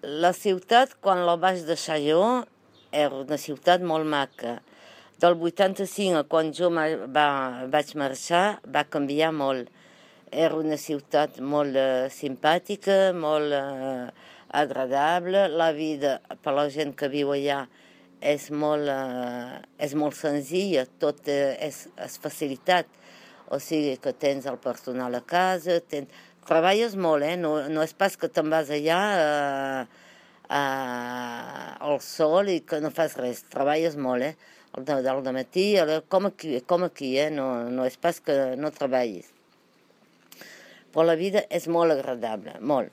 La ciutat, quan la vaig deixar jo, era una ciutat molt maca. Del 85 a quan jo vaig marxar va canviar molt. Era una ciutat molt simpàtica, molt agradable. La vida per la gent que viu allà és molt senzilla, tot és facilitat. O sigui que tens el personal a casa, treballes molt, no és pas que te'n vas allà al sol i que no fas res, treballes molt, al matí, com aquí, no és pas que no treballis. Però la vida és molt agradable, molt.